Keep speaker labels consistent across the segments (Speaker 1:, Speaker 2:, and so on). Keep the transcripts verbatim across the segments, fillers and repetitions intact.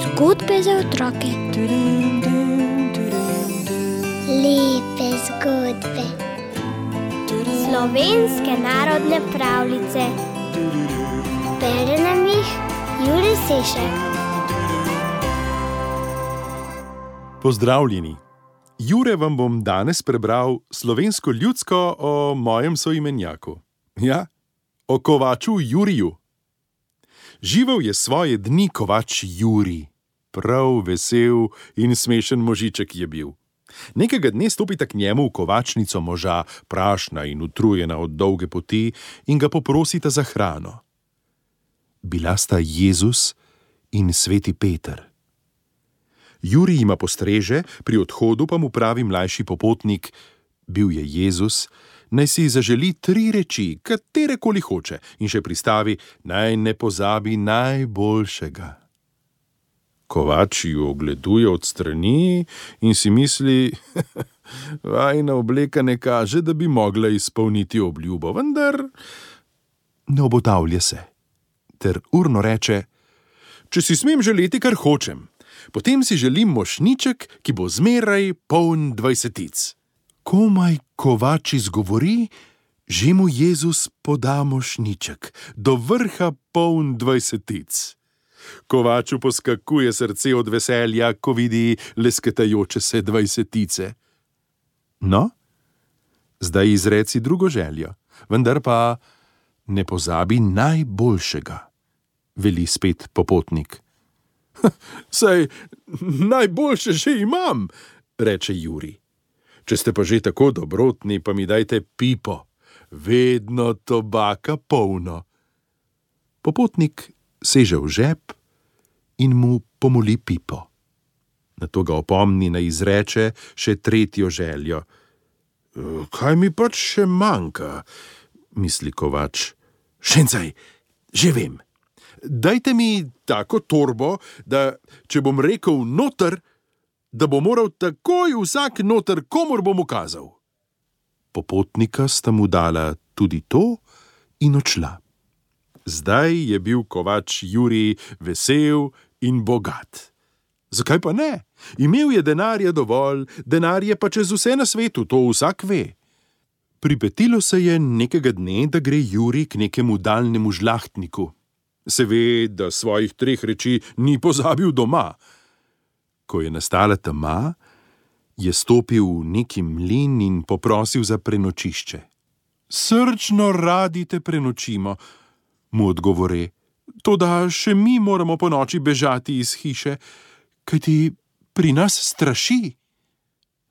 Speaker 1: Zgodbe za otroke.
Speaker 2: Lepe zgodbe.
Speaker 1: Slovenske narodne pravljice.
Speaker 2: Bere nam jih Jure Sešek.
Speaker 3: Pozdravljeni! Jure vam bom danes prebral slovensko ljudsko o mojem soimenjaku. Ja, o kovaču Juriju. Živel je svoje dni kovač Jurij. Prav vesel in smešen možiček je bil. Nekega dne stopita k njemu v kovačnico moža, prašna in utrujena od dolge poti, in ga poprosita za hrano. Bila sta Jezus in sveti Peter. Jurij jima postreže, pri odhodu pa mu pravi mlajši popotnik, bil je Jezus, naj si zaželi tri reči, katerekoli hoče, in še pristavi, naj ne pozabi najboljšega. Kovač ju ogleduje od strani in si misli, vajina obleka ne kaže, da bi mogla izpolniti obljubo, vendar ne obotavlja se, ter urno reče, če si smem želeti, kar hočem, potem si želim mošnjiček, ki bo zmeraj poln dvajsetic. Komaj kovač izgovori, že mu Jezus poda mošnjiček, do vrha poln dvajsetic. Kovaču poskakuje srce od veselja, ko vidi lesketajoče se dvajsetice. No, zdaj izreci drugo željo, vendar pa ne pozabi najboljšega, veli spet popotnik. Saj najboljše že imam, reče Jurij. Če ste pa že tako dobrotni, pa mi dajte pipo, vedno tobaka polno. Popotnik seže v žep in mu pomoli pipo. Nato ga opomni, naj izreče še tretjo željo. Kaj mi pač še manjka, misli kovač. Šencaj, že vem. Dajte mi tako torbo, da če bom rekel noter, da bo moral takoj vsak noter, komur bom ukazal. Popotnika sta mu dala tudi to in odšla. Zdaj je bil kovač Jurij vesel in bogat. Zakaj pa ne? Imel je denarja dovolj, denar je pa čez vse na svetu, to vsak ve. Pripetilo se je nekega dne, da gre Jurij k nekemu daljnemu žlahtniku. Se ve, da svojih treh reči ni pozabil doma. Ko je nastala tema, je stopil v neki mlin in poprosil za prenočišče. Srčno radi te prenočimo, mu odgovore, toda še mi moramo po noči bežati iz hiše, kajti pri nas straši.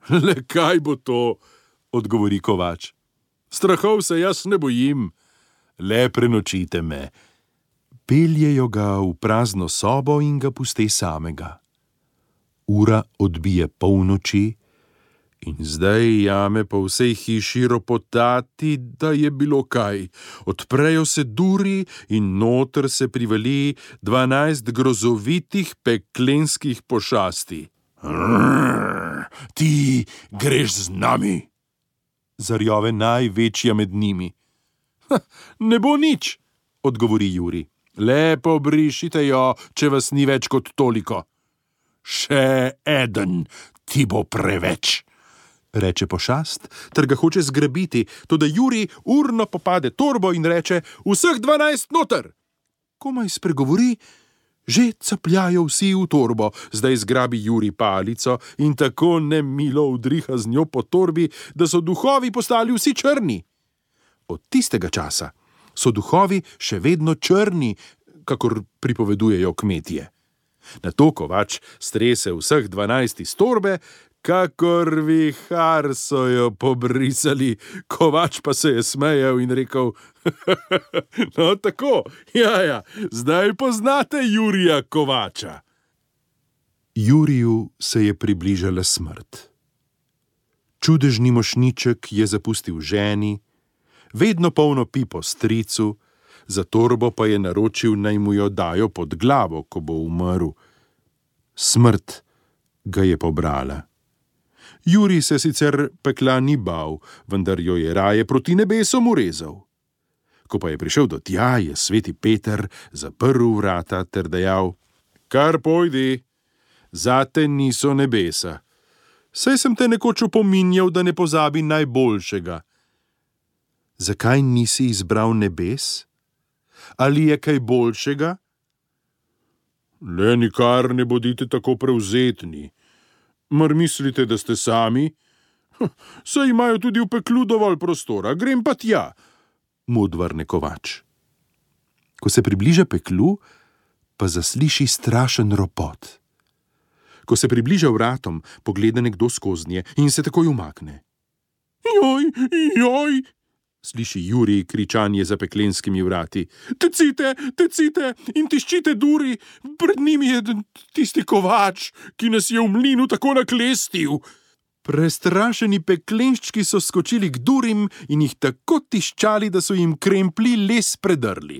Speaker 3: Le kaj bo to, odgovori kovač. Strahov se jaz ne bojim, le prenočite me. Peljejo ga v prazno sobo in ga puste samega. Ura odbije polnoči in zdaj jame po vsej hiši ropotati, da je bilo kaj. Odprejo se duri in noter se privali dvanajst grozovitih peklenskih pošasti. Rrr, ti greš z nami, zarjove največja med njimi. Ne bo nič, odgovori Jurij. Lepo brišite jo, če vas ni več kot toliko. Še eden, ti bo preveč, reče pošast, ter ga hoče zgrabiti, toda Jurij urno popade torbo in reče, vseh dvanajst noter. Komaj spregovori, že capljajo vsi v torbo, zdaj zgrabi Jurij palico in tako nemilo udriha z njo po torbi, da so duhovi postali vsi črni. Od tistega časa so duhovi še vedno črni, kakor pripovedujejo kmetje. Nato kovač strese vseh dvanajst iz torbe, kakor vihar so jo pobrisali. Kovač pa se je smejal in rekel, no tako, jaja, zdaj poznate Jurija Kovača. Juriju se je približala smrt. Čudežni mošnjiček je zapustil ženi, vedno polno pipo stricu, za torbo pa je naročil, naj mu jo dajo pod glavo, ko bo umrl. Smrt ga je pobrala. Jurij se sicer pekla ni bal, vendar jo je raje proti nebesom urezal. Ko pa je prišel do tja, je sveti Peter zaprl vrata ter dejal: Kar pojdi, zate niso nebesa. Saj sem te nekoč opominjal, da ne pozabi najboljšega. Zakaj nisi izbral nebes? Ali je kaj boljšega? Le nikar ne bodite tako prevzetni. Mar mislite, da ste sami? Saj imajo tudi v peklu dovolj prostora, grem pa tja, mu odvrne kovač. Ko se približa peklu, pa zasliši strašen ropot. Ko se približa vratom, pogleda nekdo skoznje in se takoj umakne. Joj, joj, sliši Jurij kričanje za peklenskimi vrati. Tecite, tecite in tiščite duri, pred njimi je tisti kovač, ki nas je v mlinu tako naklestil. Prestrašeni peklenščki so skočili k durim in jih tako tiščali, da so jim kremplji les predrli.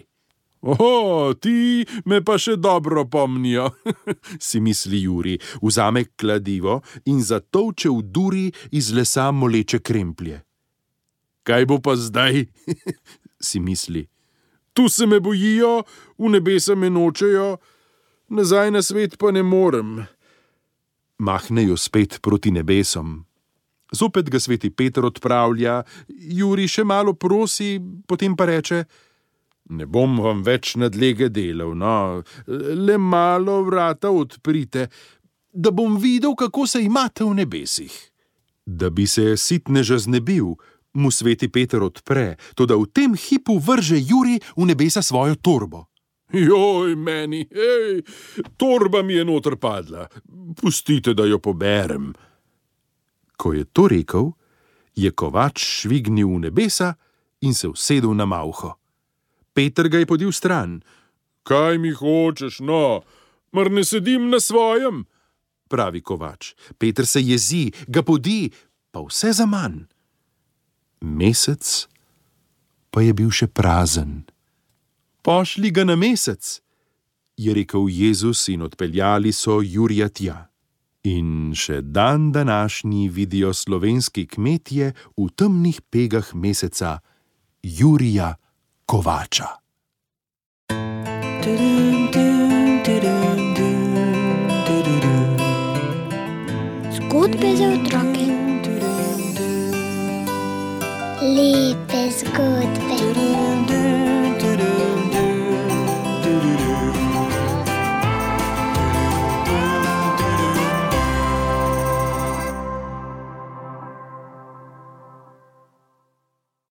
Speaker 3: Oho, ti me pa še dobro pomnijo, si misli Jurij, vzame kladivo in zatolče v duri iz lesa moleče kremplje. Kaj bo pa zdaj, si misli. Tu se me bojijo, v nebesa me nočejo, nazaj na svet pa ne morem. Mahnejo spet proti nebesom. Zopet ga sveti Peter odpravlja, Jurij še malo prosi, potem pa reče: Ne bom vam več nadlege delal, no, le malo vrata odprite, da bom videl, kako se imate v nebesih. Da bi se sitneža znebil, mu sveti Peter odpre, toda v tem hipu vrže Jurij v nebesa svojo torbo. Joj, meni, hej, torba mi je noter padla, pustite, da jo poberem. Ko je to rekel, je kovač švignil v nebesa in se usedel na malho. Peter ga je podil stran. Kaj mi hočeš, no, mar ne sedim na svojem? Pravi kovač. Peter se jezi, ga podi, pa vse zaman. Mesec pa je bil še prazen. Pošli ga na mesec, je rekel Jezus in odpeljali so Jurija tja. In še dan današnji vidijo slovenski kmetje v temnih pegah meseca Jurija Kovača.
Speaker 1: Zgodbe za otroke.
Speaker 2: Lepe zgodbe.